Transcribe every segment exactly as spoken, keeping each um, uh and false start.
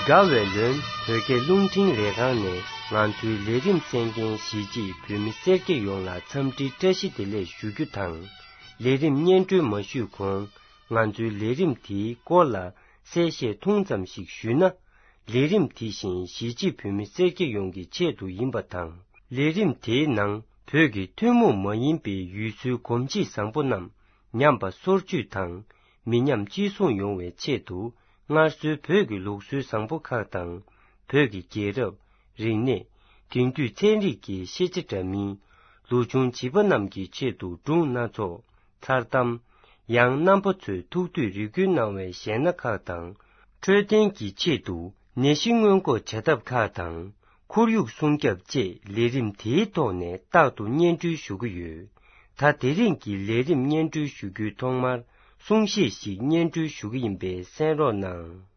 དགའ་བའི་ལོན་བོད་སྐད་རླུང་འཕྲིན་ལས་ཁང་ནས་ང་ཚོའི་ལས་རིམ་གསན་མཁན་གཞིས་བྱེས་བོད་མི་སེར་སྐྱ་ཡོངས་ལ་འཚམས་འདྲིའི་བཀྲ་ཤིས་བདེ་ལེགས་ཞུ་རྒྱུ་དང་། ལས་རིམ་སྙན་སྒྲོན་མ་ཞུས་གོང་ང་ཚོའི་ལས་རིམ་དེའི་སྐོར་ལ་གསལ་བཤད་ཐུང་ཙམ་ཞིག་ཞུས་ན། ལས་རིམ་དེ་བཞིན་གཞིས་བྱེས་བོད་མི་སེར་སྐྱ་ཡོངས་ཀྱི་ཆེད་དུ་ཡིན་པ་དང་། ལས་རིམ་དེའི་ནང་བོད་ཀྱི་ཐུན་མོང་མ་ཡིན་པའི་ཡུལ་སྲོལ་གོམས་གཤིས་བཟང་པོ་རྣམས་ཉམས་པ་སོར་ཆུད་དང་མི་ཉམས་གཅེས་སྲུང་ཡོང་བའི་ཆེད་དུ། སྔར་སྲོལ་བོད་ཀྱི་ལུགས་སྲོལ་བཟང་པོ་ཁག་དང་། བོད་ཀྱི་རྒྱལ་རབས། རིག་གནས། དེང་དུས་ཚན་རིག་གི་ཤེས་བྱ་འདྲ་མིན། ལོ་ཆུང་བྱིས་པ་རྣམས་ཀྱི་ཆེད་དུ་སྒྲུང་སྣ་ཚོགས། མཚར་གཏམ། ཡང་རྣམ་པ་ཚོས་ཐུགས་འདོད་རེ་སྐུལ་གནང་བའི་གཞས་སྣ་ཁག་དང་། འཕྲོད་བསྟེན་གྱི་ཆེད་དུ་ནད་གཞི་སྔོན་འགོག་བྱ་ཐབས་ཁག་དང་། ཁོར་ཡུག་སྲུང་སྐྱོབ་བཅས་ལས་རིམ་དེའི་ཐོག་ནས་རྟག་ཏུ་སྙན་སྒྲོན་ཞུ་གི་ཡོད། ད་དེ་རིང་གི་ལས་རིམ་སྙན་སྒྲོན་ཞུ་རྒྱུའི་ཐོག་མར་གསུང་བཤད་ཞིག་སྙན་སྒྲོན་ཞུ་གི་ཡིན་པས་གསན་རོགས་གནང་།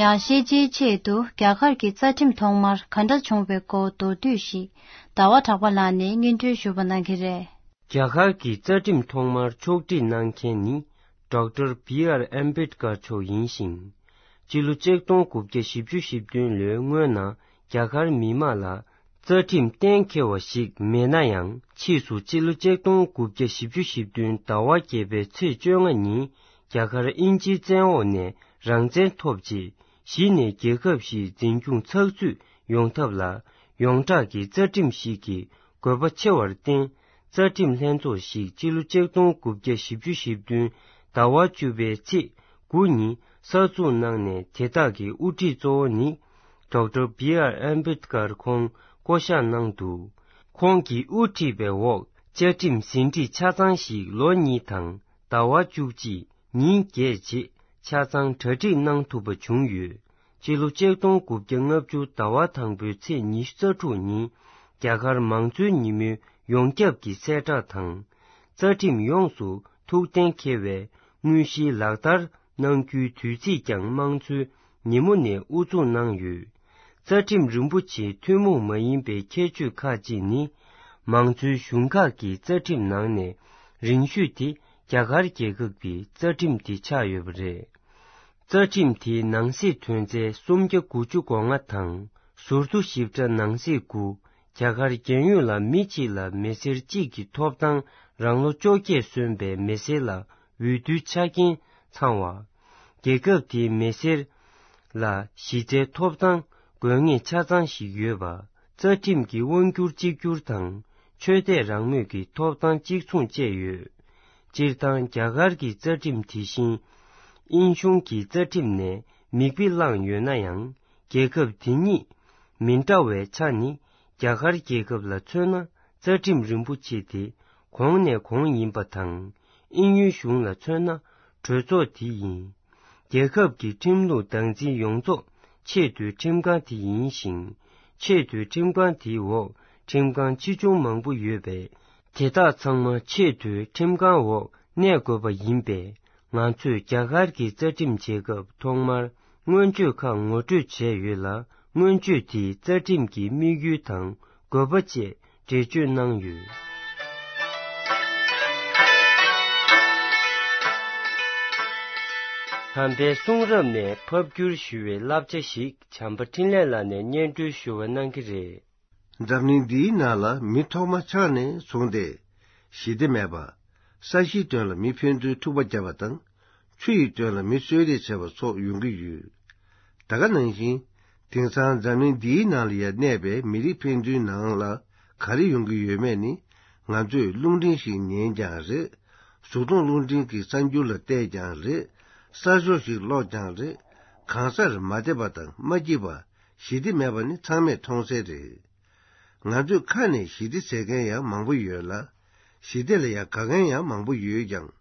ཡང་ཤེས་བྱའི་ཆེད་དུ་རྒྱ་གར་གྱི་རྩ་ཁྲིམས་ཐོག་མར་ག་འདྲ་བྱུང་བའི་སྐོར་མདོར་བསྡུས་ཤིག་ཟླ་བ་གྲགས་པ་ལགས་ནས་སྙན་སྒྲོན་ཞུ་བ་གནང་གི་རེད། རྒྱ་གར་གྱི་རྩ་ཁྲིམས་ཐོག་མར་ཕྱོགས་སྒྲིག་གནང་མཁན་ནི་ཌོག་ཊར་བི་ཨར་ཨམ་བེད་ཀར་མཆོག་ཡིན་ཞིང་། སྤྱི་ལོ་ཆིག་སྟོང་དགུ་བརྒྱ་བཞི་བཅུ་ཞེ་བདུན་ལོའི་སྔོན་ན་རྒྱ་གར་མི་མང་ལ་རྩ་ཁྲིམས་གཏན་འཁེལ་བ་ཞིག་མེད་ན་ཡང་། ཕྱིས་སུ་སྤྱི་ལོ་ཆིག་སྟོང་དགུ་བརྒྱ་བཞི་བཅུ་ཞེ་བདུན་ཟླ་བ་བརྒྱད་པའི་ཚེས་བཅོ་ལྔ་ཉིན་རྒྱ་གར་དབྱིན་ཇིའི་བཙན་འོག་ནས་རང་བཙན་ཐོབ་རྗེས། གཞི་ནས་རྒྱལ་ཁབ་ཞིག་འཛིན་སྐྱོང་ཚགས་ཚུད་ཡོང་ཐབས་ལ་ཡོངས་གྲགས་ཀྱི་རྩ་ཁྲིམས་ཤིག་གི་དགོས་པ་ཆེ་བར་བརྟེན། རྩ་ཁྲིམས་ལྷན་ཚོགས་ཤིག་སྤྱི་ལོ་ཆིག་སྟོང་དགུ་བརྒྱ་བཞི་བཅུ་ཞེ་བདུན་ཟླ་བ་བཅུ་པའི་ཚེས་དགུ་ཉིན་གསར་འཛུགས་གནང་ནས། དེ་དག་གི་དབུ་ཁྲིད་གཙོ་བོ་ནི་ཌོག་ཊར་བྷི་ཨར་ཨམ་བེད་ཀར་ཁོང་བསྐོ་གཞག་གནང་འདུག་ཁོང་གིས་དབུ་ཁྲིད་པའི་འོག་བཅའ་ཁྲིམས་ཟིན་བྲིས་ཆ་ཚང་ཞིག་ལོ་གཉིས་དང་ཟླ་བ་བཅུ་གཅིག་ཉིན་བརྒྱད་རྗེས་ཆ་ཚང་གྲ་སྒྲིག་གནང་ཐུབ་པ་བྱུང་ཡོད། སྤྱི་ལོ་ཆིག་སྟོང་དགུ་བརྒྱ་ལྔ་བཅུ་ཟླ་བ་དང་པོའི་ཚེས་ཉི་ཤུ་རྩ་དྲུག་ཉིན་རྒྱ་གར་མང་གཙོའི་ཉིན་མོའི་ཡོངས་ཁྱབ་ཀྱི་གསལ་བསྒྲགས་དང་། རྩ་ཁྲིམས་ཡོངས་སུ་ཐུགས་གཏན་འཁེལ་བའི་དངོས་གཞིའི་ལག་བསྟར་གནང་རྒྱུའི་དུས་ཚིགས་ཀྱང་དམངས་གཙོའི་ཉིན་མོ་ནས་དབུ་འཛུགས་གནང་ཡོད། རྩ་ཁྲིམས་རིན་པོ་ཆེའི་ཐུན་མོང་མ་ཡིན་པའི་ཁྱད་ཆོས་ཁག་ཅིག་ནི། མང་གཙོའི་གཞུང་ཁག་གི་རྩ་ཁྲིམས་ནང་ནས་རིང་ཤོས་དེ་རྒྱ་གར་རྒྱལ་ཁབ་ཀྱི་རྩ་ཁྲིམས་དེ་ཆགས་ཡོད་པ་རེད། རྩ་ཁྲིམས་དེའི་ནང་གསེས་ཐོན་རྫས་སུམ་བརྒྱ་དགུ་བཅུ་གོ་ལྔ་དང་། ཟུར་དུ་ཞིབ་ཕྲ་ནང་གསེས་དགུ། རྒྱ་གར་རྒྱལ་ཡོངས་ལ་མི་གཅིག་ལ་མི་སེར་གཅིག་གི་ཐོབ་ཐང་རང་ལོ་བཅོ་བརྒྱད་སོན་པའི་མི་སེར་ལ་འོས་བསྡུའི་ཆ་རྐྱེན་ཚང་བ། རྒྱལ་ཁབ་དེའི་མི་སེར་ལ་གཞི་རྩའི་ཐོབ་ཐང་དགོས་ངེས་ཆ་ཚང་ཞིག་ཡོད་པ། རྩ་ཁྲིམས་ཀྱི་དབང་སྒྱུར་གཅིག་གྱུར་དང་ཆོས་དད་རང་མོས་ཀྱི་ཐོབ་ཐང་གཅིག་མཚུངས་བཅས་ཡོད། སྤྱིར་བཏང་རྒྱ་གར་གྱི་རྩ་ཁྲིམས་དེ་བཞིན་དབྱིན་གཞུང་གི་རྩ་ཁྲིམས་ནས་མིག་དཔེ་བླངས་ཡོད་ན་ཡང་། རྒྱལ་ཁབ་དེ་གཉིས་མི་འདྲ་བའི་ཆ་ནི། རྒྱ་གར་རྒྱལ་ཁབ་ལ་མཚོན་ན་རྩ་ཁྲིམས་རིན་པོ་ཆེ་དེ་གོང་ནས་གོང་ཡིན་པ་དང་། དབྱིན་ཡུལ་གཞུང་ལ་མཚོན་ན་གྲོས་ཚོགས་དེ་ཡིན། རྒྱལ་ཁབ་ཀྱི་ཁྲིམས་ལུགས་བདག་འཛིན་ཡོངས་རྫོགས་ཆེས་མཐོའི་ཁྲིམས་ཁང་དེ་ཡིན་ཞིང་། ཆེས་མཐོའི་ཁྲིམས་ཁང་དེའི་འོག་ཁྲིམས་ཁང་ཆེ་ཆུང་མང་པོ་ཡོད་པས། དེ་དག་ཚང་མ་ཆེས་མཐོའི་ཁྲིམས་ཁང་འོག་གནས་དགོས་པ་ཡིན་པས། ང་ཚོས་རྒྱ་གར་གྱི་རྩ་ཁྲིམས་བྱེད་སྐབས་ཐོག་མར་མངོན་བརྗོད་ཁག་ངོ་སྤྲོད་བྱས་ཡོད་ལ། མངོན་བརྗོད་དེས་རྩ་ཁྲིམས་ཀྱི་དམིགས་ཡུལ་དང་དགོས་པ་བཅས་འགྲེལ་བརྗོད་གནང་ཡོད། དམ་པའི་གསུང་རབ་ནས་ཕབ་བསྒྱུར་ཞུ་བའི་བསླབ་བྱ་ཞིག་བྱམས་པ་འཕྲིན་ལས་ལགས་ནས་སྙན་སྒྲོན་ཞུ་བ་གནང་གི་རེད། འཛམ་གླིང་འདིའི་ནང་ལ་མི་ཐོག་མ་ཆགས་ནས་བཟུང་སྟེ། ཞི་བདེ་མེད་པ། ས་གཞིའི་དོན་ལ་མི་ཕན་ཚུན་འཁྲུག་པ་བརྒྱབ་པ་དང་། ཆུ་ཡི་དོན་ལ་མི་གསོད་རེས་བྱས་པ་སོགས་ཡོང་གི་ཡོད། ད་ག་ནང་བཞིན། དེང་སང་འཛམ་གླིང་འདིའི་ནང་ལ་ཡང་གནས་པའི་མི་རིགས་ཕན་ཚུན་ནང་ལ་ག་རེ་ཡོང་གི་ཡོད་མེད་ནི། ང་ཚོས་རླུང་འཕྲིན་ཞིག་ཉན་ཀྱང་རེད། གཟུགས་མཐོང་རླུང་འཕྲིན་གྱི་གསར་འགྱུར་ལ་བལྟས་ཀྱང་རེད། གསར་ཤོག་ཞིག་ཀློག་ཀྱང་རེད། གང་སར་མ་བདེ་བ་དང་མ་སྐྱིད་པ། ཞི་བདེ་མེད་པ་ནི་ཚང་མས་མཐོང་གསལ་རེད། ང་ཚོའི་ཁ་ནས་ཞི་བདེ་ཟེར་མཁན་ཡང་མང་པོ་ཡོད་ལ། ཞི་བདེ་ལ་ཡང་དགའ་མཁན་ཡང་མང་པོ་ཡོད་ཀྱང་།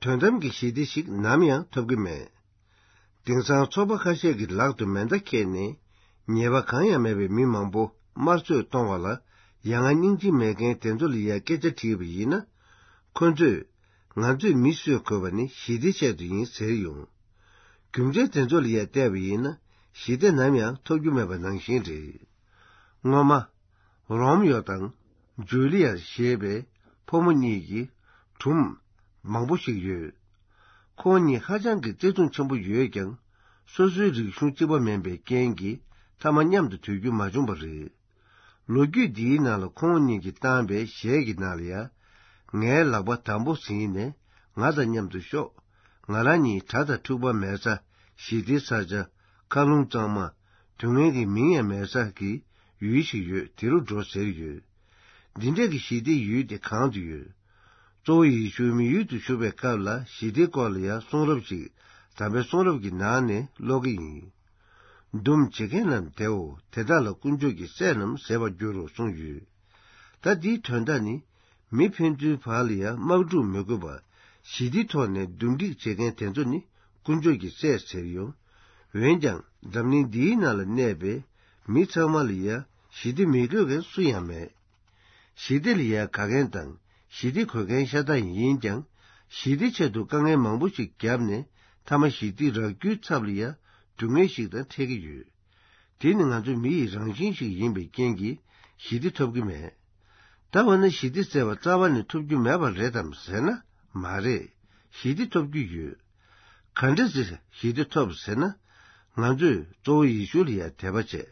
དོན་དམ་གྱི་ཞི་བདེ་ཞིག་ནམ་ཡང་ཐོབ་ཀྱི་མེད། དེང་སང་ཚོགས་པ་ཁ་ཤས་ཀྱི་ལག་ཏུ་མེ་མདའ་ཁྱེར་ནས། ཉེས་པ་གང་ཡང་མེད་པའི་མི་མང་པོ་དམར་གསོད་གཏོང་བ་ལ། ཡ་ང་སྙིང་རྗེ་མེད་མཁན་དེ་ཚོ་ལ་ཡ་སྐད་ཆ་དྲིས་པ་ཡིན་ན། ཁོ་ཚོས། ང་ཚོས་མི་གསོད་དགོས་པ་ནི་ཞི་བདེའི་ཆེད་དུ་ཡིན་ཟེར་ཡོང་། རྒྱུ་མཚན་དེ་ཚོ་ལ་ཡ་བལྟས་པ་ཡིན་ན། ཞི་བདེ་ནམ་ཡང་ཐོབ་རྒྱུ་མེད་པ་ནང་བཞིན་རེད། སྔོན་མ། རོམ་ཡོ་དང་། ཇུ་ལི་ཡར་ཞེས་པའི་ཕོ་མོ་གཉིས་ཀྱི་སྒྲུང་མང་པོ་ཞིག་ཡོད། ཁོང་གཉིས་ཧ་ཅང་གི་བརྩེ་དུང་ཆེན་པོ་ཡོད་ཀྱང་། སོ་སོའི་རིག་གཞུང་གཅིག་པ་མིན་པའི་རྐྱེན་གྱིས་མཐའ་མ་མཉམ་དུ་སྡོད་རྒྱུ་མ་བྱུང་བ་རེད། ལོ་རྒྱུས་འདིའི་ནང་ལ་ཁོང་གཉིས་ཀྱིས་བཏང་པའི་གཞས་ཀྱི་ནང་ལ་ཡ། ངའི་ལག་པ་དམ་པོ་ཟིན་ནས་ང་དང་མཉམ་དུ་ཤོག་ང་རང་གཉིས་དགྲ་དང་འཁྲུག་པ་མེད་ས། ཞི་བདེའི་ས་ཆ། མཁའ་རླུང་གཙང་མ། སྡུག་བསྔལ་གྱི་མིང་ཡང་མེད་ས་ཀྱི་ཡུལ་ཞིག་ཡོད། དེ་རུ་འགྲོ་ཟེར་ཡོད། འདི་འདྲ་གི་ཞི་བདེའི་ཡུལ་དེ་གང་དུ་ཡོད། གཙོ་བོ་ཡེ་ཤུ་མི་ཡུལ་དུ་བཞུགས་པའི་སྐབས་ལ་ཞི་བདེའི་སྐོར་ལ་ཡང་གསུང་རབ་ཅིག་དམ་པའི་གསུང་རབ་ཀྱི་ནང་ནས་ཀློག་གི་ཡིན། འདུམ་བྱེད་མཁན་རྣམས་བདེའོ། དེ་དག་ལ་དཀོན་མཆོག་གི་སྲས་རྣམས་ཟེར་བར་འགྱུར་རོ་གསུངས་ཡོད། ད་འདིའི་དོན་དག་ནི། མི་ཕན་ཚུན་བར་ལ་ཡང་དམག་འཁྲུག་མི་དགོས་པར། ཞི་བདེའི་ཐོག་ནས་འདུམ་འགྲིག་བྱེད་མཁན་དེ་ཚོ་ནི་དཀོན་མཆོག་གི་སྲས་ཟེར་ཡོང་། འོན་ཀྱང་འཛམ་གླིང་འདིའི་ནང་ལ་གནས་པའི་མི་ཚང་མ་ལ་ཡང་ཞི་བདེ་མི་དགོས་མཁན་སུ་ཡང་མེད། ཞི་བདེ་ལ་ཡང་དགའ་མཁན་དང་ཞི་བདེ་དགོས་མཁན་ཤ་སྟག་ཡིན་ཀྱང་། ཞི་བདེའི་ཆེད་དུ་དཀའ་ངལ་མང་པོ་ཞིག་བརྒྱབ་ནས་མཐའ་མ་ཞི་བདེ་རག་རྒྱུའི་ཚབ་ལ་ཡང་སྡུག་བསྔལ་ཞིག་དང་འཕྲད་ཀྱི་ཡོད། དེ་ནི་ང་ཚོ་མི་ཡི་རང་བཞིན་ཞིག་ཡིན་པའི་རྐྱེན་གྱིས་ཞི་བདེ་ཐོབ་ཀྱི་མེད། ད་འོ་ན་ཞི་བདེ་ཟེར་བ་རྩ་བ་ནས་ཐོབ་རྒྱུ་མེད་པ་རེད་དམ་ཟེར་ན་མ་རེད། ཞི་བདེ་ཐོབ་རྒྱུ་ཡོད། ག་འདྲ་ཞིག་ཞི་བདེ་ཐོབ་ཟེར་ན། ང་ཚོས་གཙོ་བོ་ཡེ་ཤུ་ལ་ཡང་དད་པ་བྱས།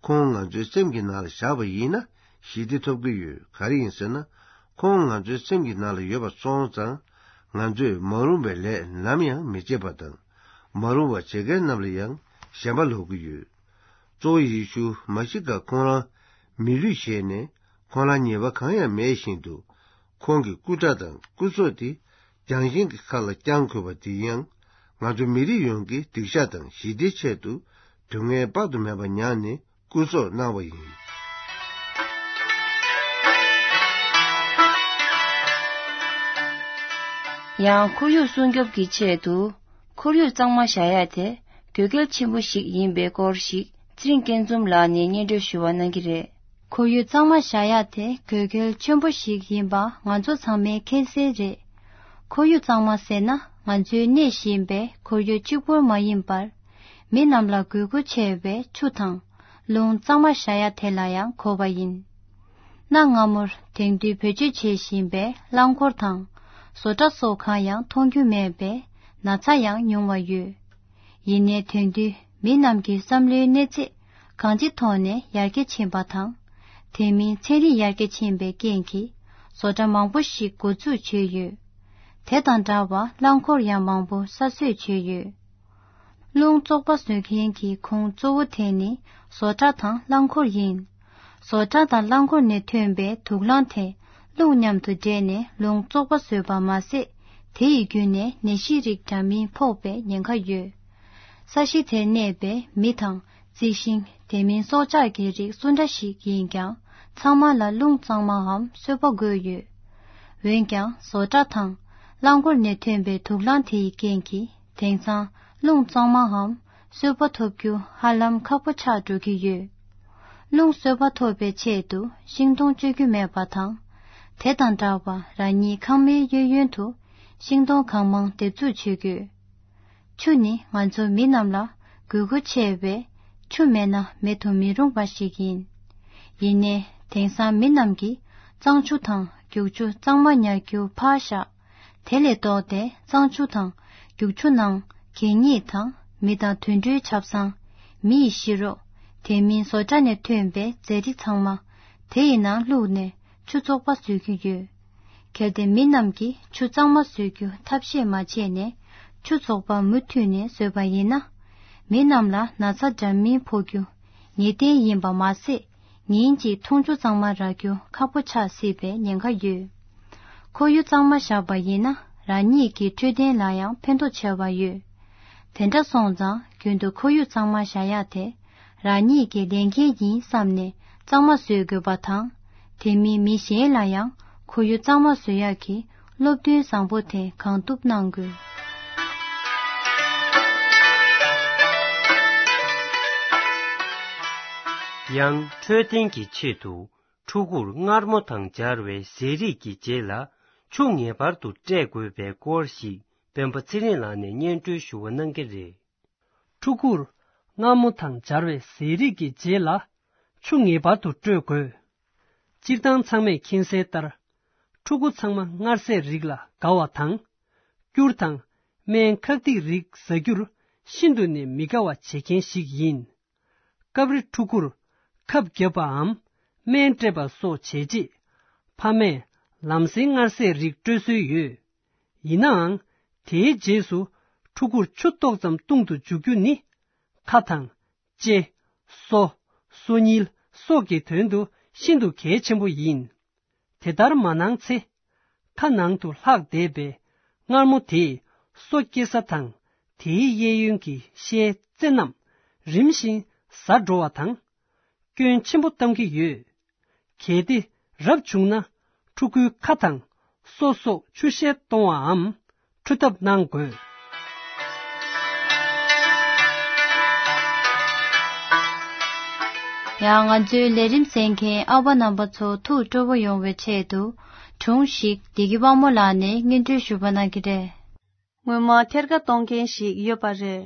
ཁོང་ང་ཚོའི་སེམས་ཀྱི་ནང་ལ་བཞག་པ་ཡིན་ན་ཞི་བདེ་ཐོབ་ཀྱི་ཡོད། ག་རེ་ཡིན་ཟེར་ན། ཁོང་ང་ཚོའི་སེམས་ཀྱི་ནང་ལ་ཡོད་པ་སོང་ཙང་། ང་ཚོས་མ་རུངས་པའི་ལས་ནམ་ཡང་མི་བྱེད་པ་དང་། མ་རུངས་པ་བྱེད་མཁན་རྣམས་ལ་ཡང་ ཞེན་པ་ལོག་གི་ཡོད། གཙོ་བོ་ཡེ་ཤུ་མ་ཤི་ཀ་ཁོང་རང་མི་ལུས་བཞེས་ནས་ཁོང་རང་ཉེས་པ་གང་ཡང་མེད་བཞིན་དུ། ཁོང་གི་སྐུ་སྒྲ་དང་སྐུ་སྲོག་དེ་རྒྱང་ཤིང་གི་ཁ་ལ་བརྐྱང་དགོས་པ་དེ་ཡང་། ང་ཚོ་མི་རིགས་ཡོངས་ཀྱི་སྡིག་བཤགས་དང་ཞི་བདེའི་ཆེད་དུ་སྡུག་བསྔལ་དཔག་ཏུ་མེད་པ་མྱངས་ནས་སྐུ་སྲོག་གནང་བ་ཡིན། ཡང་ཁོར་ཡུག་སྲུང་སྐྱོབ་ཀྱི་ཆེད་དུ། ཁོར་ཡུག་གཙང་མ་བཞག་ཡ་དེ་དགོས་གལ་ཆེན་པོ་ཞིག་ཡིན་པའི་སྐོར་ཞིག་ཚེ་རིང་སྐྱིད་འཛོམས་ལགས་ནས་སྙན་སྒྲོན་ཞུ་བ་གནང་གི་རེད། ཁོར་ཡུག་གཙང་མ་བཞག་ཡ་དེ་དགོས་གལ་ཆེན་པོ་ཞིག་ཡིན་པ་ང་ཚོ་ཚང་མས་མཁྱེན་གསལ་རེད། ཁོར་ཡུག་གཙང་མ་ཟེར་ན་ང་ཚོའི་གནས་བཞིན་པའི་ཁོར་ཡུག་གཅིག་པུར་མ་ཡིན་པར། མི་རྣམས་ལ་དགོས་མཁོ་ཆེ་བའི་ཆུ་དང་རླུང་གཙང་མ་བཞག་ཡ་དེ་ལ་ཡང་གོ་བ་ཡིན། གནའ་སྔ་མོར་དེང་དུས་བེད་སྤྱོད་བྱེད་བཞིན་པའི་རླངས་འཁོར་དང་། བཟོ་གྲྭ་སོགས་གང་ཡང་མཐོང་རྒྱུ་མེད་པས་ན་ཚ་ཡང་ཉུང་བ་ཡོད། ཡིན་ནའི་དེང་དུས་མི་རྣམས་ཀྱི་བསམ་བློའི་གནས་ཚད་གང་ཅིའི་ཐོག་ནས་ཡར་རྒྱས་ཕྱིན་པ་དང་། དེ་མིན་ཚན་རིག་ཡར་རྒྱས་ཕྱིན་པའི་རྐྱེན་གྱིས་བཟོ་གྲྭ་མང་པོ་ཞིག་འགོ་འཛུགས་བྱས་ཡོད། དེ་དང་འདྲ་བར་རླངས་འཁོར་ཡང་མང་པོ་གསར་བཟོས་བྱས་ཡོད། རླུང་བཙོག་པ་བཟོ་མཁན་གྱི་ཁོངས་གཙོ་བོ་དེ་ནི་བཟོ་གྲྭ་དང་རླངས་འཁོར་ཡིན། བཟོ་གྲྭ་དང་རླངས་འཁོར་ནས་ཐོན་པའི་དུག་རླངས་དེ་རླུང་མཉམ་དུ་འདྲེས་ནས་རླུང་བཙོག་པ་བཟོས་པ་མ་ཟད། དེ་ཡི་བརྒྱུད་ནས་ནད་གཞི་རིགས་འདྲ་མིན་ཕོག་པའི་ཉེན་ཁ་ཡོད། ས་གཞི་དེར་གནས་པའི་མི་དང་རྩི་ཤིང་། དེ་མིན་སྲོག་ཆགས་ཀྱི་རིགས་སུ་འདྲ་ཞིག་ཡིན་ཀྱང་། ཚང་མ་ལ་རླུང་གཙང་མའམ་གསོལ་བ་དགོས་ཡོད། འོན་ཀྱང་བཟོ་གྲྭ་དང་རླངས་འཁོར་ནས་ཐོན་པའི་དུག་རླངས་དེ་ཡི་རྐྱེན་གྱིས། དེང་སང་རླུང་གཙང་མའམ་གསོལ་བ་ཐོབ་རྒྱུ་ཧ་ལམ་ཁག་པོ་ཆགས་འགྲོ་གི་ཡོད། རླུང་གསོལ་བ་ཐོབ་པའི་ཆེད་དུ་ཤིང་སྡོང་གཅོད་རྒྱུ་མེད་པ་དང་། དེ་དང་འདྲ་བར་རང་ཉིད་ཁང་མིག་གཡས་གཡོན་དུ་ཤིང་སྡོང་གང་མང་འདེབས་འཛུགས་བྱེད་དགོས། ཆུ་ནི་ང་ཚོ་མི་རྣམས་ལ་དགོས་མཁོ་ཆེ་བས། ཆུ་མེད་ན་མེད་དུ་མི་རུང་བ་ཞིག་ཡིན། ཡིན་ནའི་དེང་སང་མི་རྣམས་ཀྱིས་གཙང་ཆུ་དང་རྒྱུག་ཆུ་གཙང་མ་ཉར་རྒྱུ་ཕར་བཞག་དེ་ལས་ལྡོག་སྟེ་གཙང་ཆུ་དང་རྒྱུག་ཆུ་ནང་གད་སྙིགས་དང་མི་དང་དུད་འགྲོའི་ཆབ་གསང་། མི་ཡི་ཤི་རོ། དེ་མིན་བཟོ་གྲྭ་ནས་ཐོན་པའི་རྫས་རིགས་ཚང་མ་དེ་ཡི་ནང་བླུགས་ནས་ཆུ་བཙོག་པ་བཟོ་གི་ཡོད། གལ་ཏེ་མི་རྣམས་ཀྱིས་ཆུ་གཙང་མ་བཟོ་རྒྱུ་ཐབས་ཤེས་མ་བྱས་ནས་ཆུ་བཙོག་པ་མུ་མཐུད་ནས་བཟོས་པ་ཡིན་ན། མི་རྣམས་ལ་ན་ཚ་འདྲ་མིན་ཕོག་རྒྱུ་ངེས་གཏན་ཡིན་པ་མ་ཟད། ཉིན་གཅིག་འཐུང་ཆུ་གཙང་མ་རག་རྒྱུ་ཁག་པོ་ཆགས་སྲིད་པའི་ཉེན་ཁ་ཡོད། ཁོར་ཡུག་གཙང་མ་བཞག་པ་ཡིན་ན་རང་ཉིད་ཀྱི་འཕྲོད་བསྟེན་ལ་ཡང་ཕན་ཐོགས་ཆེ་བ་ཡོད། དེ་འདྲ་སོང་ཙང་རྒྱུན་དུ་ཁོར་ཡུག་གཙང་མ་བཞག་ཡ་དེ་རང་ཉིད་ཀྱི་ལས་འགན་ཡིན་བསམ་ནས་གཙང་མ་བཟོ་དགོས་པ་དང་། དེ་མིན་མི་གཞན་ལ་ཡང་ཁོར་ཡུག་གཙང་མ་བཟོ་ཡག་གི་སློབ་སྟོན་བཟང་པོ་དེ་གང་ཐུབ་གནང་དགོས། ཡང་འཕྲོད་བསྟེན་གྱི་ཆེད་དུ་ཕྲུ་གུར་མངར་མོ་དང་སྦྱར་བའི་ཟས་རིགས་ཀྱི་རྗེས་ལ་ཆུ་ངེས་པར་དུ་སྤྲད་དགོས་པའི་སྐོར་ཞིག་སྤེན་པ་ཚེ་རིང་ལགས་ནས་སྙན་སྒྲོན་ཞུ་བ་གནང་གི་རེད། ཕྲུ་གུར་མངར་མོ་དང་སྦྱར་བའི་ཟས་རིགས་ཀྱི་རྗེས་ལ་ཆུ་ངེས་པར་དུ་སྤྲོད་དགོས། སྤྱིར་བཏང་ཚང་མས་མཁྱེན་གསལ་ལྟར། ཕྲུ་གུ་ཚང་མ་མངར་ཟས་རིགས་ལ་དགའ་བ་དང་། སྐྱུར་དང་སྨན་ཁག་ཐིག་རིགས་ཟ་རྒྱུར་ཤིན་ཏུ་ནས་མི་དགའ་བ་བྱེད་མཁན་ཞིག་ཡིན། སྐབས་རེ་ཕྲུ་གུར་ཁབ་བརྒྱབ་པའམ་སྨན་སྤྲད་པ་སོགས་བྱས་རྗེས། ཕ་མས་ལམ་སེང་མངར་ཟས་རིགས་སྤྲོད་སྲོལ་ཡོད། ཡིན་ནའང་། དེའི་རྗེས་སུ་ཕྲུ་གུར་ཆུ་ཏོག་ཙམ་བཏུང་དུ་འཇུག་རྒྱུ་ནི། ཁ་དང་། ལྕེ། སོ། སོ་གཉིས་སོགས་ཀྱི་དོན་དུ་ཤིན་ཏུ་གལ་ཆེན་པོ་ཡིན། དེ་ལྟར་མ་གནང་ཚེ། ཁ་ནང་དུ་ལྷག་བསྡད་པའི་མངར་མོ་དེས་སོ་སྐྱེ་ས་དང་དེའི་གཡས་གཡོན་གྱི་ཤའི་རྩེ་རྣམས་རིམ་བཞིན་ཟ་འགྲོ་བ་དང་། སྐྱོན་ཆེན་པོ་གཏོང་གི་ཡོད། གལ་ཏེ་རབ་བྱུང་ན་ཕྲུ་གུའི་ཁ་དང་སོ་སོགས་ཆུ་ཤས་གཏོང་བའམ་འཁྲུ་ཐབས་གནང་དགོས། ཡང་ང་ཚོའི་ལས་རིམ་གསན་མཁན་ཨ་ཕ་རྣམ་པ་ཚོ་ཐུགས་སྤྲོ་པོ་ཡོང་བའི་ཆེད་དུ་སྒྲུང་ཞིག་བདེ་སྐྱིད་དཔལ་མོ་ལགས་ནས་སྙན་སྒྲོན་ཞུ་བ་གནང་གི་རེད། སྔོན་མ་ཐེར་ཀ་གཏོང་མཁན་ཞིག་ཡོད་པ་རེད།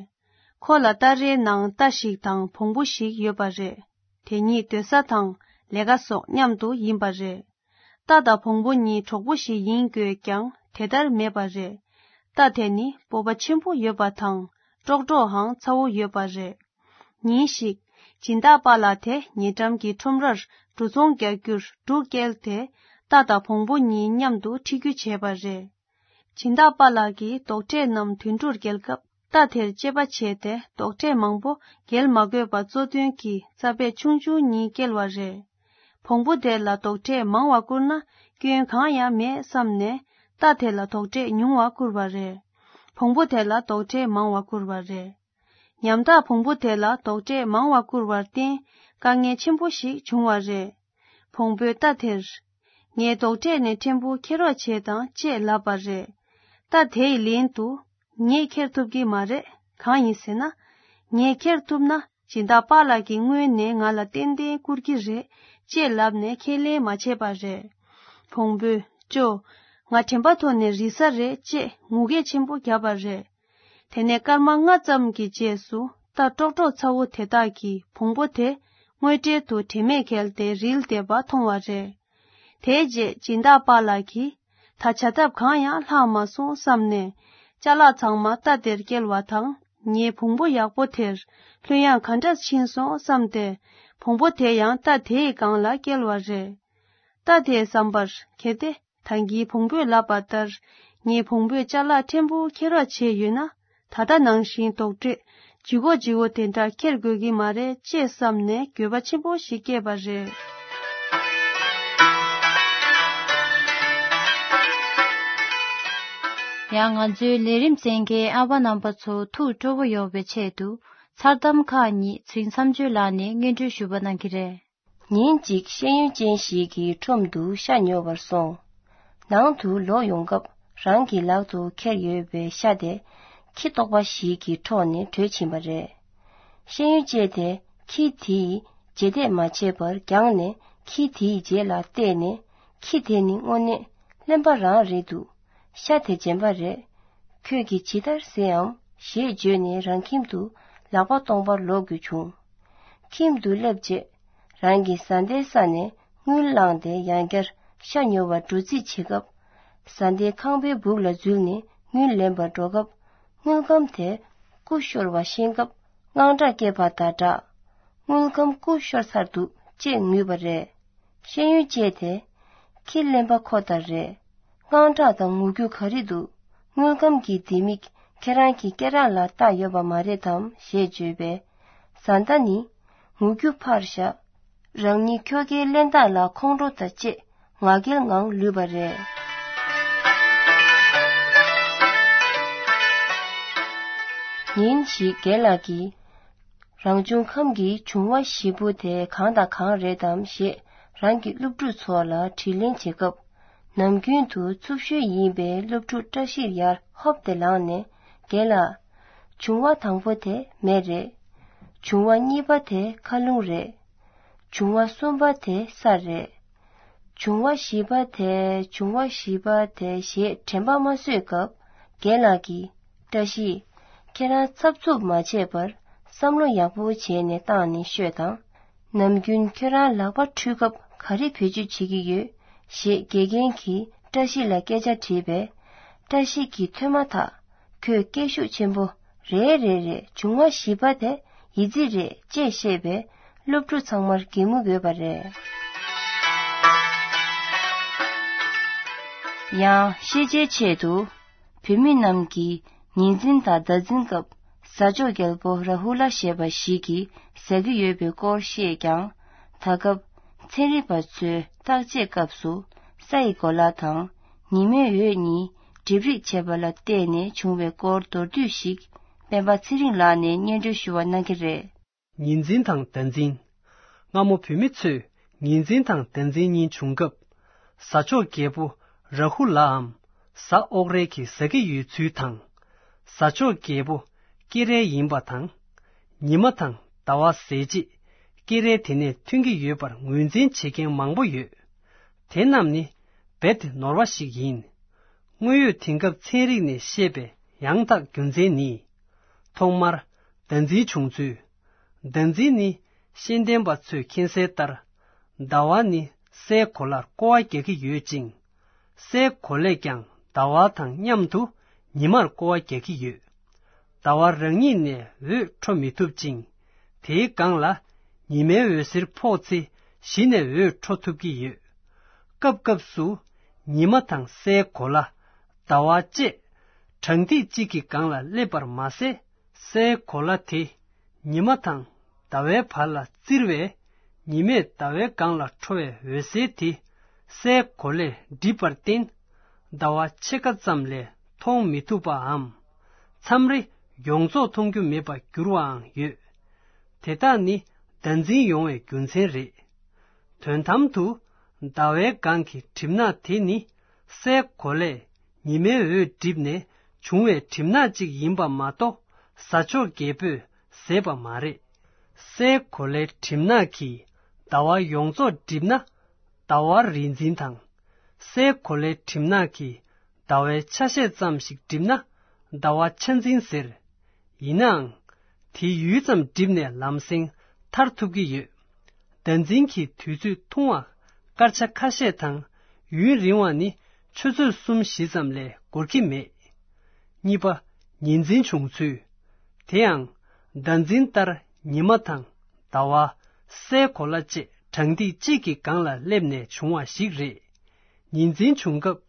ཁོ་ལ་སྟ་རེའི་ནང་རྟ་ཞིག་དང་བོང་བུ་ཞིག་ཡོད་པ་རེད། དེ་གཉིས་སྡོད་ས་དང་ལས་ཀ་སོགས་མཉམ་དུ་ཡིན་པ་རེད། རྟ་དང་བོང་བུ་གཉིས་གྲོགས་པོ་ཞིག་ཡིན་དགོས་ཀྱང་དེ་ལྟར་མེད་པ་རེད། རྟ་དེ་ནི་སྤོབས་པ་ཆེན་པོ་ཡོད་པ་དང་ཀྲོག་ཀྲོའང་ཚ་བོ་ཡོད་པ་རེད། ཉིན་ཞིག་སྦྱིན་བདག་པཱ་ལགས་དེ་ཉེ་འགྲམ་གྱི་ཁྲོམ་རར་འབྲུ་ཚོང་རྒྱག་རྒྱུར་འབྲུ་བསྐྱལ་ཏེ་རྟ་དང་བོང་བུ་གཉིས་མཉམ་དུ་འཁྲིད་རྒྱུ་བྱས་པ་རེད། སྦྱིན་བདག་པཱ་ལགས་ཀྱིས་རྡོག་ཁྲེས་རྣམས་དུད་འགྲོར་བསྐྱལ་སྐབས་ རྟ་དེར་དཔྱད་པ་བྱས་ཏེ་རྡོག་ཁྲེས་མང་པོ་འགེལ་མ་དགོས་པ་གཙོ་དོན་གྱི་རྩ་བད་ཆུང་ཆུང་གཉིས་བསྐྱལ་བ་རེད། བོང་བུ་དེ་ལ་རྡོག་ཁྲེས་མང་བ་བསྐུར་ན་སྐྱོན་གང་ཡང་མེད་བསམ་ནས་རྟ་དེ་ལ་རྡོག་ཁྲེས་ཉུང་བ་བསྐུར་བ་རེད། བོང་བུ་དེ་ལ་རྡོག་ཁྲེས་མང་བ་བསྐུར་བ་རེད། ཉམ་ཐག་བོང་བུ་དེ་ལ་རྡོག་ཁྲེས་མང་བ་བསྐུར་བར་བརྟེན་དཀའ་ངལ་ཆེན་པོ་ཞིག་བྱུང་བ་རེད། བོང་བུས་རྟ་དེར། ངས་རྡོག་ཁྲེས་ནས་ཕྲན་བུ་ཁྱེར་རོགས་བྱེད་དང་ཅེས་ལབ་པ་རེད། རྟ་དེ་ཡི་ལན་དུ། ངས་ཁྱེར་ཐུབ་ཀྱི་མ་རེད། གང་ཡིན་ཟེར་ན། ངས་ཁྱེར་ཐུབ་ན་སྦྱིན་བདག་པཱ་ལགས་ཀྱིས་སྔོན་ནས་ང་ལ་ཏན་ཏན་བསྐུར་གྱི་རེད་ཅེས་ལབ་ནས་ཁས་ལེན་མ་བྱས་པ་རེད། བོང་བུས་ཅོ། ང་དྲན་པ་ཐོག་ནས་རིལ་ས་རེད་ཅེས་ངུ་སྐད་ཆེན་པོ་བརྒྱབ་པ་རེད། དེ་ནས་སྐར་མ་ལྔ་ཙམ་གྱི་རྗེས་སུ་རྟ་ཀྲོག་ཀྲོག་ཚ་བོ་དེ་དག་གིས་བོང་བུ་དེ་དངོས་འབྲེལ་དུ་དྲན་མེད་བརྒྱལ་ཏེ་རིལ་བསྡད་པ་མཐོང་བ་རེད། དེའི་རྗེས་སྦྱིན་བདག་པཱ་ལགས་ཀྱིས་ད་བྱ་ཐབས་གང་ཡང་ལྷག་མ་སོང་བསམ་ནས་ཅ་ལག་ཚང་མ་རྟ་དེར་བསྐྱལ་བ་དང་ངའི་བོང་བུ་ཡག་པོ་དེར་ལྷོད་ཡངས་ག་འདྲ་ཕྱིན་སོང་བསམ་སྟེ་བོང་བུ་དེ་ཡང་རྟ་དེའི་སྒང་ལ་བསྐྱལ་བ་རེད། རྟ་དེའི་བསམ་པར་གལ་ཏེ། ད་གིན་བོང་བུས་ལབ་པ་ལྟར། ངས་བོང་བུས་ཅ་ལག་ཕྲན་བུ་ཁྱེར་རོགས་བྱས་ཡོད་ན། ད་ལྟ་ནང་བཞིན་རྡོག་ཁྲེས་ལྗིད་ཁོག་ལྗིད་ཁོག་དེ་འདྲ་ཁྱེར་དགོས་ཀྱི་མ་རེད་ཅེས་བསམ་ནས་འགྱོད་པ་ཆེན་པོ་ཞིག་སྐྱེས་པ་རེད། ཡང་ང་ཚོའི་ལས་རིམ་གསན་མཁན་ཨ་ཕ་རྣམ་པ་ཚོ་ཐུགས་སྤྲོ་པོ་ཡོང་བའི་ཆེད་དུ་མཚར་གཏམ་ཁག་ཉིད་ཚེ་རིང་མཚམས་གཅོད་ལགས་ནས་སྙན་སྒྲོན་ཞུ་བ་གནང་གི་རེད། ཉིན་གཅིག་ཤེས་ཡོན་ཅན་ཞིག་གི་ཁྲོམ་དུ་ཤ་ཉོ་བར་སོང་། ནང་དུ་ལོག་ཡོང་སྐབས་རང་གི་ལག་ཏུ་ཁྱེར་ཡོད་པའི་ཤ་དེ་ཁྱི་ལྟོགས་པ་ཞིག་གི་ཁྲོད་ནས་བྲོས་ཕྱིན་པ་རེད། ཤེས་ཡོན་ཅན་དེས་ཁྱི་དེའི་རྗེས་འདེད་མ་བྱས་པར་རྒྱང་ནས་ཁྱི་དེའི་རྗེས་ལ་བལྟས་ནས། ཁྱི་དེ་ནི་དངོས་གནས་གླེན་པ་རང་རེད་འདུག་ཤ་དེ་འཇམ་པ་རེད། ཁྱོད་ཀྱིས་ཇི་ལྟར་ཟས་འམ་ཞེས་བརྗོད་ནས་རང་ཁྱིམ་དུ་ལག་པ་སྟོང་པར་ལོག་དགོས་བྱུང་། ཁྱིམ་དུ་སླེབས་རྗེས། རང་གི་བཟའ་ཟླའི་ས་ནས་དངུལ་བླངས་ཏེ་ཡང་བསྐྱར་ཤ་ཉོ་བར་འགྲོ་རྩིས་བྱེད་སྐབས། བཟའ་ཟླའི་ཁང་པའི་སྦུག་ལ་འཛུལ་ནས་དངུལ་ལེན་པར་འགྲོ་སྐབས། དངུལ་སྒམ་དེ་ཀུ་ཤོར་བ་ཤེས་སྐབས་དངངས་སྐྲག་སྐྱེས་པ་དང་སྦྲགས། དངུལ་སྒམ་ཀུ་ཤོར་ཚར་འདུག་ཅེས་ངུས་པ་རེད། ཤེས་ཡོན་ཅན་དེ། ཁྱི་གླེན་པ་ཁོ་ལྟར་རེད། དངངས་སྐྲག་དང་ངུ་རྒྱུ་ག་རེ་འདུག་དངུལ་སྒམ་གྱི་ལྡེ་མིག་ཁྱེད་རང་གི་སྐེ་རགས་ལ་བཏགས་ཡོད་པ་མ་རེད་དམ་ཞེས་བརྗོད་པས། བཟའ་ཟླ་ནི། ངུ་རྒྱུ་ཕར་བཞག་རང་ཉིད་ཁྱོ་གའི་གླེན་རྟགས་ལ་ཁོང་ཁྲོ་དང་བཅས་ང་རྒྱལ་ངང་ལུས་པ་རེད། ཉིན་ཞིག་རྒན་ལགས་ཀྱིས། རང་བྱུང་ཁམས་ཀྱི་འབྱུང་བ་བཞི་པོ་དེ་གང་དང་གང་རེད་དམ་ཞེས་རང་གི་སློབ་ཕྲུག་ཚོ་ལ་དྲིས་ལན་བྱེད་སྐབས། ནམ་རྒྱུན་དུ་འཚུབ་ཤོས་ཡིན་པའི་སློབ་ཕྲུག་བཀྲ་ཤིས་ཡར་ཧོབ་སྟེ་ལངས་ནས་རྒན་ལགས། འབྱུང་བ་དང་པོ་དེ་མེ་རེད། འབྱུང་བ་གཉིས་པ་དེ་མཁའ་རླུང་རེད། འབྱུང་བ་གསུམ་པ་དེ་ས་རེད། འབྱུང་བ་བཞི་པ་དེ་འབྱུང་བ་བཞི་པ་དེ་ཞེས་དྲན་པ་མ་བཟོད་སྐབས་རྒན་ལགས་ཀྱིས། བཀྲ་ཤིས། ཁྱེད་རང་འཚབ་འཚུབ་མ་བྱས་པར་བསམ་བློ་ཡག་པོ་བྱས་ནས་བཏང་ནས་ཤོད་དང་། ནམ་རྒྱུན་ཁྱོད་རང་ལག་པ་འཁྲུད་སྐབས་ག་རེ་བེད་སྤྱོད་བྱེད་ཀྱི་ཡོད་ཞེས་དགེ་རྒན་གྱིས་བཀྲ་ཤིས་ལ་སྐད་ཆ་དྲིས་པས། བཀྲ་ཤིས་ཀྱིས་ཐོས་མ་ཐག་ཁོས་སྐད་ཤུགས་ཆེན་པོ། རེད་རེད་རེད། འབྱུང་བ་བཞི་པ་དེ་ཡི་ཙི་རེད་ཅེས་བཤད་པས་སློབ་ཕྲུག་ཚང་མར་གད་མོ་དགོས་པ་རེད། ཡང་ཤེས་བྱའི་ཆེད་དུ་བུད་མེད་རྣམས་ཀྱིས་ཉིན་མཚན་དང་ཟླ་མཚན་སྐབས་ཟ་ཆོག་རྒྱལ་པོ་ར་ཧུ་ལ་ཞེས་པ་ཞིག་གིས་ཟ་གི་ཡོད་པའི་སྐོར་བཤད་ཀྱང་། ད་སྐབས་ཚན་རིག་པ་ཚོས་བརྟག་དཔྱད་སྐབས་སུ་ས་ཡི་གོ་ལ་དང་ཉི་མའི་འོད་གཉིས་འགྲིབ་རེས་བྱེད་པ་ལ་བརྟེན་ནས་བྱུང་བའི་སྐོར་མདོར་བསྡུས་ཤིག་སྤེན་པ་ཚེ་རིང་ལགས་ནས་སྙན་སྒྲོན་ཞུ་བ་གནང་གི་རེད། ཉིན་མཚན་དང་ཟླ་མཚན། སྔ་མོ་བུད་མེད་ཚོས་ཉིན་མཚན་དང་ཟླ་མཚན་གཉིས་བྱུང་སྐབས། ཟ་ཆོག་རྒྱལ་པོ་ར་ཧུ་ལའམ་གཟའ་ཨོག་རལ་གྱིས་ཟ་གི་ཡོད་ཚུལ་དང་། ཟ་ཆོག་རྒྱལ་པོ་ཀེ་རལ་ཡིན་པ་དང་། ཉི་མ་དང་ཟླ་བ་ཟད་རྗེས་ཀེ་རལ་དེ་ནས་ཐོན་གྱི་ཡོད་པར་ངོས་འཛིན་བྱེད་མཁན་མང་པོ་ཡོད། དེ་རྣམས་ནི་རྦད་དེ་ནོར་བ་ཞིག་ཡིན། དངོས་ཡོད་དེང་སྐབས་ཚན་རིག་ནས་བཤད་པའི་ཡང་དག་རྒྱུ་མཚན་ནི། ཐོག་མར་ཟླ་འཛིན་བྱུང་ཚུལ། ཟླ་འཛིན་ནི་ཤེས་ལྡན་པ་ཚོས་མཁྱེན་གསལ་ལྟར། ཟླ་བ་ནི་སའི་གོ་ལར་སྐོར་བ་རྒྱག་གི་ཡོད་ཅིང་། སའི་གོ་ལས་ཀྱང་ཟླ་བ་དང་མཉམ་དུ་ཉི་མར་སྐོར་བ་རྒྱག་གི་ཡོད། ཟླ་བ་རང་ཉིད་ནས་འོད་འཕྲོ་མི་ཐུབ་ཅིང་། དེའི་སྒང་ལ་ཉི་མའི་འོད་ཟེར་ཕོག་ཚེ་གཞི་ནས་འོད་འཕྲོ་ཐུབ་ཀྱི་ཡོད། སྐབས་སྐབས་སུ་ཉི་མ་དང་སའི་གོ་ལ། ཟླ་བ་བཅས་ གྲང་ཐིག་གཅིག་གི་སྒང་ལ་སླེབས་པར་མ་ཟད། སའི་གོ་ལ་དེ་ཉི་མ་དང་ཟླ་བའི་བར་ལ་བཙིར་བས། ཉི་མས་ཟླ་བའི་སྒང་ལ་འཕྲོ་བའི་འོད་ཟེར་དེ་སའི་གོ་ལས་འགྲིབ་པར་བརྟེན། ཟླ་བ་ཕྱེད་ཀ་ཙམ་ལས་མཐོང་མི་ཐུབ་པའམ། མཚམས་རེ་ཡོངས་རྫོགས་མཐོང་རྒྱུ་མེད་པར་འགྱུར་བའང་ཡོད། དེ་དག་ནི་བདག་འཛིན་ཡོང་བའི་རྒྱུ་མཚན་རེད། དོན་དམ་དུ། ཟླ་བའི་སྒང་གི་གྲིབ་ནག་དེ་ནི་སའི་གོ་ལས་ཉི་མའི་འོད་འགྲིབ་ནས་བྱུང་བའི་གྲིབ་ནག་ཅིག་ཡིན་པ་མ་གཏོགས། གཟའ་མཆོག་རྒྱལ་པོས་ཟད་པ་མ་རེད། སའི་གོ་ལའི་གྲིབ་ནག་གིས་ཟླ་བ་ཡོངས་རྫོགས་བསྒྲིབས་ན། ཟླ་བ་རིས་འཛིན་དང་། སའི་གོ་ལའི་གྲིབ་ནག་གིས་ཟླ་བའི་ཆ་ཤས་ཙམ་ཞིག་བསྒྲིབས་ན། ཟླ་བ་ཆ་འཛིན་ཟེར། ཡིན་ནའང་། དེ་ཡུད་ཙམ་བསྒྲིབས་ནས་ལམ་སེང་ཐར་ཐུབ་ཀྱི་ཡོད། བདག་འཛིན་གྱི་དུས་ཚོད་ཐུང་བ་སྐར་ཆ་ཁ་ཤས་དང་། ཡུན་རིང་བ་ནི་ཆུ་ཚོད་གསུམ་བཞི་ཙམ་ལས་འགོར་གྱི་མེད། གཉིས་པ། ཉིན་འཛིན་བྱུང་ཚུལ། དེ་ཡང་། བདག་འཛིན་ལྟར་ཉི་མ་དང་ཟླ་བ། སའི་གོ་ལ་བཅས་གྲང་ཐིག་གཅིག་གི་སྒང་ལ་སླེབས་ནས་བྱུང་བ་ཞིག་རེད། ཉིན་འཛིན་བྱུང་སྐབས་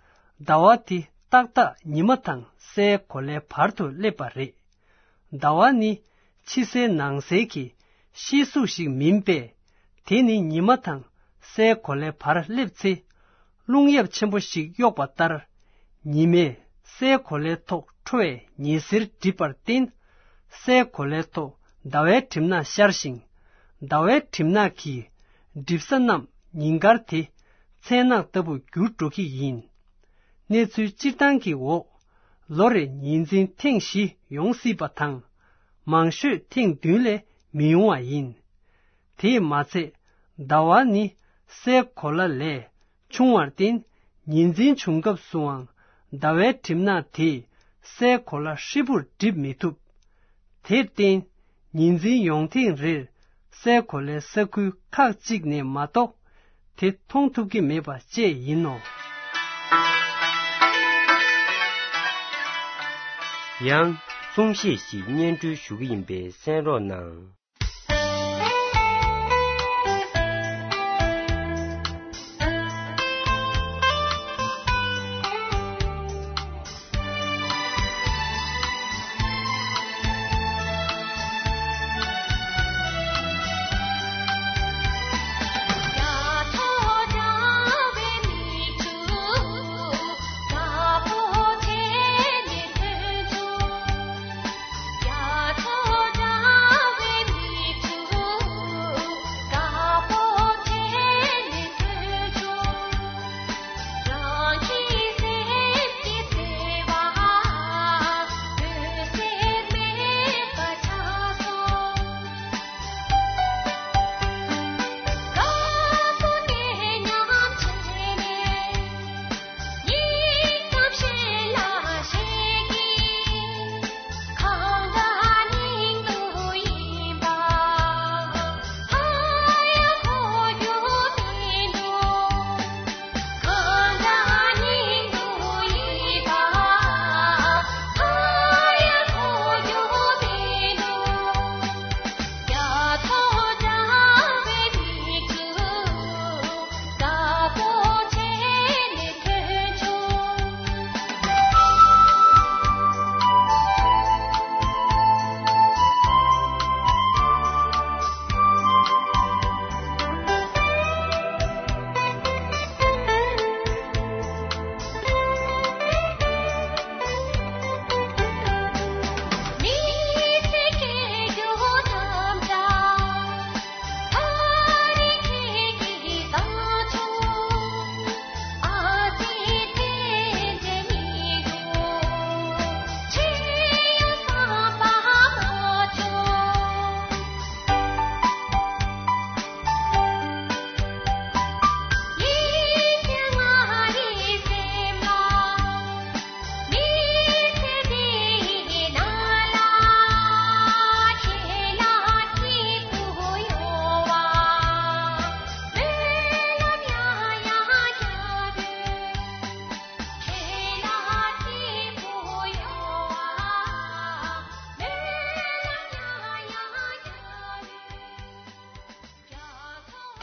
ཟླ་བ་དེ་ཏག་ཏག་ཉི་མ་དང་སའི་གོ་ལའི་བར་དུ་སླེབས་པ་རེད། ཟླ་བ་ནི་ཕྱི་གསལ་ནང་གསལ་གྱི་ཤེལ་གཟུགས་ཤིག་མིན་པས། དེ་ནི་ཉི་མ་དང་སའི་གོ་ལའི་བར་སླེབས་ཚེ། རླུང་ཡབ་ཆེན་པོ་ཞིག་གཡོགས་པ་ལྟར། ཉི་མས་སའི་གོ་ལའི་ཐོག་འཕྲོ་བའི་ཉི་ཟེར་བསྒྲིབས་པར་བརྟེན། སའི་གོ་ལའི་ཐོག་ཟླ་བའི་གྲིབ་ནག་ཤར་ཞིང་། ཟླ་བའི་གྲིབ་ནག་གིས་འགྲིབ་ས་རྣམས་ཉིན་དཀར་དེ་མཚན་ནག་ལྟ་བུ་འགྱུར་འགྲོ་གི་ཡིན། གནས་ཚུལ་སྤྱིར་བཏང་གི་འོག་ལོ་རེ་ཉིན་འཛིན་ཐེངས་བཞི་ཡོང་སྲིད་པ་དང་། མང་ཤོས་ཐེངས་བདུན་ལས་མི་ཡོང་བ་ཡིན། དེས་མ་ཚད། ཟླ་བ་ནི་སའི་གོ་ལ་ལས་ཆུང་བར་བརྟེན། ཉིན་འཛིན་བྱུང་སྐབས་སུའང་ཟླ་བའི་གྲིབ་ནག་དེས་སའི་གོ་ལ་ཧྲིལ་པོར་བསྒྲིབས་མི་ཐུབ། དེར་བརྟེན། ཉིན་འཛིན་ཡོང་ཐེངས་རེར་སའི་གོ་ལའི་ས་ཁུལ་ཁག་ཅིག་ནས་མ་གཏོགས། དེ་མཐོང་ཐུབ་ཀྱི་མེད་པ་བཅས་ཡིན་ནོ། ཡང་གསུང་བཤད་ཞིག་སྙན་སྒྲོན་ཞུ་གི་ཡིན་པས་གསན་རོགས་གནང་།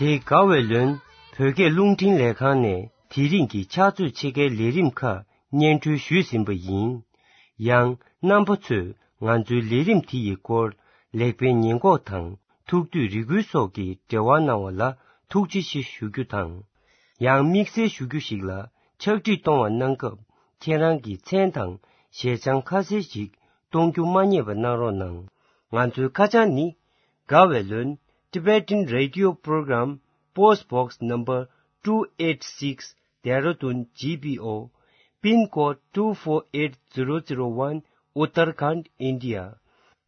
དེ་དགའ་བའི་ལོན་བོད་སྐད་རླུང་འཕྲིན་ལས་ཁང་ནས་དེ་རིང་གི་ཕྱག་ཚོད་ཕྱེད་ཀའི་ལས་རིམ་ཁག་སྙན་སྒྲོན་ཞུས་ཟིན་པ་ཡིན། ཡང་རྣམ་པ་ཚོས་ང་ཚོའི་ལས་རིམ་དེ་ཡི་སྐོར་ལེགས་སྤེལ་ཉེས་འགོག་དང་ཐུགས་འདོད་རེ་སྐུལ་སོགས་ཀྱི་འབྲེལ་བ་གནང་བ་ལ་ཐུགས་རྗེ་ཆེ་ཞུ་རྒྱུ་དང་། ཡང་དམིགས་བསལ་ཞུ་རྒྱུ་ཞིག་ལ། ཕྱག་བྲིས་གཏོང་བ་གནང་སྐབས་ཁྱེད་རང་གི་མཚན་དང་ཞལ་བྱང་ཁ་གསལ་ཞིག་གཏོང་རྒྱུ་མ་བསྙེལ་བ་གནང་རོགས་གནང་། ང་ཚོའི་ཁ་བྱང་ནི། དགའ་བའི་ལོན། Tibetan Radio Program, Post Box Number two eight six, Dehradun G P O, Pin Code two four eight zero zero one, Uttarakhand, India.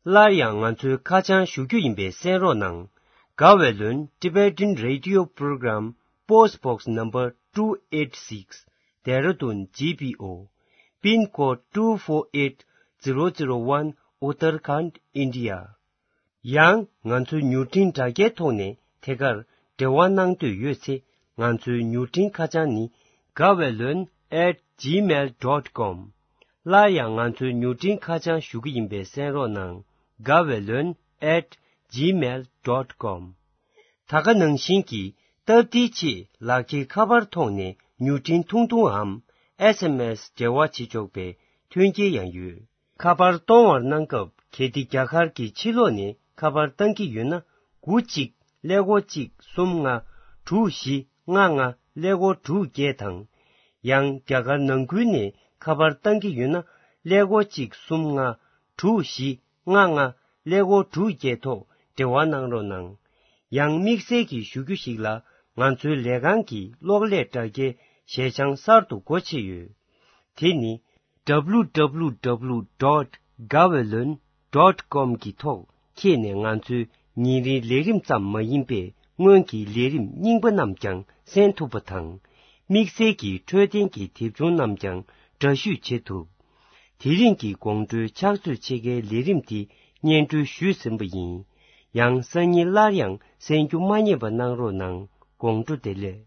སླར་ཡང་ང་ཚོའི་ཁ་བྱང་ཞུ་རྒྱུ་ཡིན་པས་གསན་རོགས་གནང་། དགའ་བའི་ལོན། Tibetan Radio Program, Post Box Number two eight six, Dehradun G P O, Pin Code two four eight zero zero one, Uttarakhand, India. ཡང་ང་ཚོའི་མྱུར་འཕྲིན་དྲ་རྒྱའི་ཐོག་ནས་ཐད་ཀར་འབྲེལ་བ་གནང་འདོད་ཡོད་ཚེ། ང་ཚོའི་མྱུར་འཕྲིན་ཁ་བྱང་ནི། དགའ་བའི་ལོན་at gmail dot com། སླར་ཡང་ང་ཚོའི་མྱུར་འཕྲིན་ཁ་བྱང་ཞུ་གི་ཡིན་པས་གསན་རོགས་གནང་། དགའ་བའི་ལོན་at gmail dot com། ད་ག་ནང་བཞིན་གྱི་སྟབས་བདེའི་ཆེད་ལག་འཁྱེར་ཁ་པར་ཐོག་ནས་མྱུར་འཕྲིན་ཐུང་ཐུང་འམ་S M S འབྲེལ་བ་བྱེད་ཆོག་པའི་མཐུན་རྐྱེན་ཡང་ཡོད། ཁ་པར་གཏོང་བར་གནང་སྐབས། གལ་ཏེ་རྒྱ་གར་གྱི་ཕྱི་ལོགས་ནས་ཁ་པར་བཏང་གི་ཡོད་ན། དགུ་གཅིག་ཀླད་ཀོར་གཅིག་གསུམ་ལྔ་དྲུག་བཞི་ལྔ་ལྔ་ཀླད་ཀོར་དྲུག་བརྒྱད་དང་། ཡང་རྒྱ་གར་ནང་ཁུལ་ནས་ཁ་པར་བཏང་གི་ཡོད་ན། ཀླད་ཀོར་གཅིག་གསུམ་ལྔ་དྲུག་བཞི་ལྔ་ལྔ་ཀླད་ཀོར་དྲུག་བརྒྱད་ཐོག་འབྲེལ་བ་གནང་རོགས་གནང་། ཡང་དམིགས་བསལ་གྱི་ཞུ་རྒྱུ་ཞིག་ལ། ང་ཚོའི་ལས་ཁང་གི་གློག་ཀླད་དྲ་རྒྱའི་ཞལ་བྱང་གསར་དུ་སྒོ་ཕྱེ་ཡོད། དེ་ནི། W W W dot gaweylon dot com གི་ཐོག་འཁྱེར་ནས་ང་ཚོའི་ཉིན་རེའི་ལས་རིམ་ཙམ་མ་ཡིན་པའི་སྔོན་གྱི་ལས་རིམ་རྙིང་པ་རྣམས་ཀྱང་གསན་ཐུབ་པ་དང་། དམིགས་བསལ་གྱི་འཕྲོད་བསྟེན་གྱི་དེབ་ཆུང་རྣམས་ཀྱང་འདྲ་བཤུས་བྱེད་ཐུབ། དེ་རིང་གི་དགོང་དྲོའི་ཕྱག་ཚོད་ཕྱེད་ཀའི་ལས་རིམ་འདི་སྙན་སྒྲོན་ཞུས་ཟིན་པ་ཡིན། ཡང་སང་ཉིན་སླར་ཡང་གསན་རྒྱུ་མ་བསྙེལ་བ་གནང་རོགས་གནང་། དགོང་དྲོ་བདེ་ལེགས།